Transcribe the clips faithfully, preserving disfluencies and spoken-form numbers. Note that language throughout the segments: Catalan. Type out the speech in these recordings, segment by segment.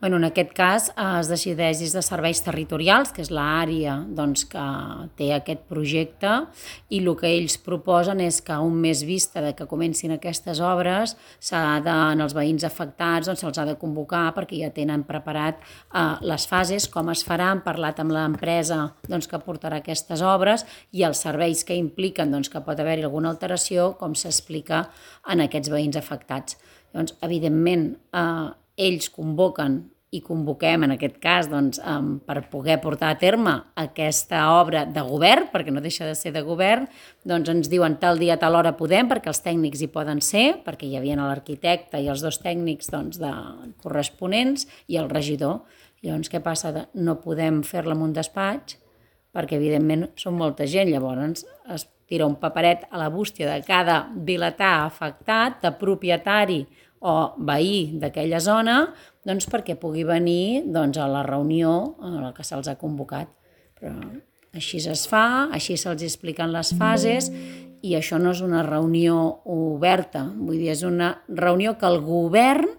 Bueno, en aquest cas es decideix des de serveis territorials, que és l'àrea doncs, que té aquest projecte, i el que ells proposen és que un mes vista de que comencin aquestes obres, s'ha de, en els veïns afectats doncs, se'ls ha de convocar perquè ja tenen preparat eh, les fases, com es farà, han parlat amb l'empresa doncs, que portarà aquestes obres i els serveis que impliquen doncs, que pot haver-hi alguna alteració, com s'explica en aquests veïns afectats. Llavors, evidentment, eh, ells convoquen i convoquem, en aquest cas, doncs, um, per poder portar a terme aquesta obra de govern, perquè no deixa de ser de govern, doncs ens diuen tal dia, tal hora podem, perquè els tècnics hi poden ser, perquè hi havia l'arquitecte i els dos tècnics doncs, de corresponents i el regidor. Llavors, què passa? No podem fer-la en un despatx, perquè, evidentment, són molta gent. Llavors, es tira un paperet a la bústia de cada vilatà afectat, de propietari o veí d'aquella zona, doncs perquè pugui venir doncs, a la reunió a la que se'ls ha convocat. Però així es fa, així se'ls expliquen les fases i això no és una reunió oberta, vull dir, és una reunió que el govern,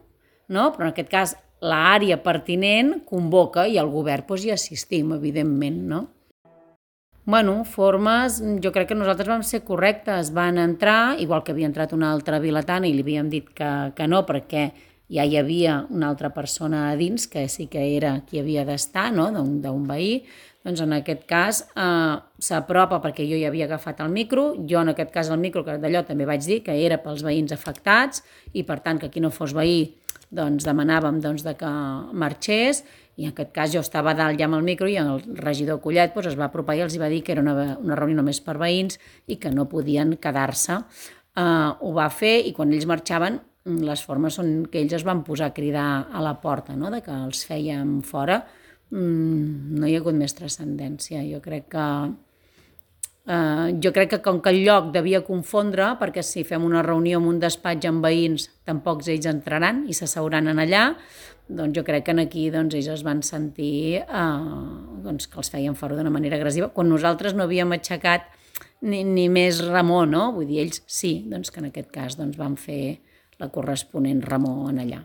no? Però en aquest cas l'àrea pertinent convoca i el govern doncs, hi assistim, evidentment, no? Bueno, formes, jo crec que nosaltres vam ser correctes, van entrar, igual que havia entrat una altra vilatana i li havíem dit que, que no, perquè ja hi havia una altra persona a dins, que sí que era qui havia d'estar, no? d'un veí, doncs en aquest cas eh, s'apropa perquè jo ja havia agafat el micro, jo en aquest cas el micro, que d'allò també vaig dir que era pels veïns afectats i per tant que qui no fos veí doncs demanàvem doncs, de que marxés, i en aquest cas jo estava dalt ja amb el micro i el regidor Collet doncs, es va apropar i els va dir que era una, una reunió només per veïns i que no podien quedar-se. Uh, ho va fer i quan ells marxaven les formes són que ells es van posar a cridar a la porta, no? De que els fèiem fora. Mm, no hi ha hagut més transcendència. Jo crec que Uh, jo crec que com que el lloc devia confondre, perquè si fem una reunió en un despatx amb veïns, tampoc ells entraran i s'asseuran en allà, doncs jo crec que aquí doncs, ells es van sentir uh, doncs, que els feien fora d'una manera agressiva, quan nosaltres no havíem aixecat ni, ni més remor, no? Vull dir, ells sí, doncs que en aquest cas doncs, van fer la corresponent remor en allà.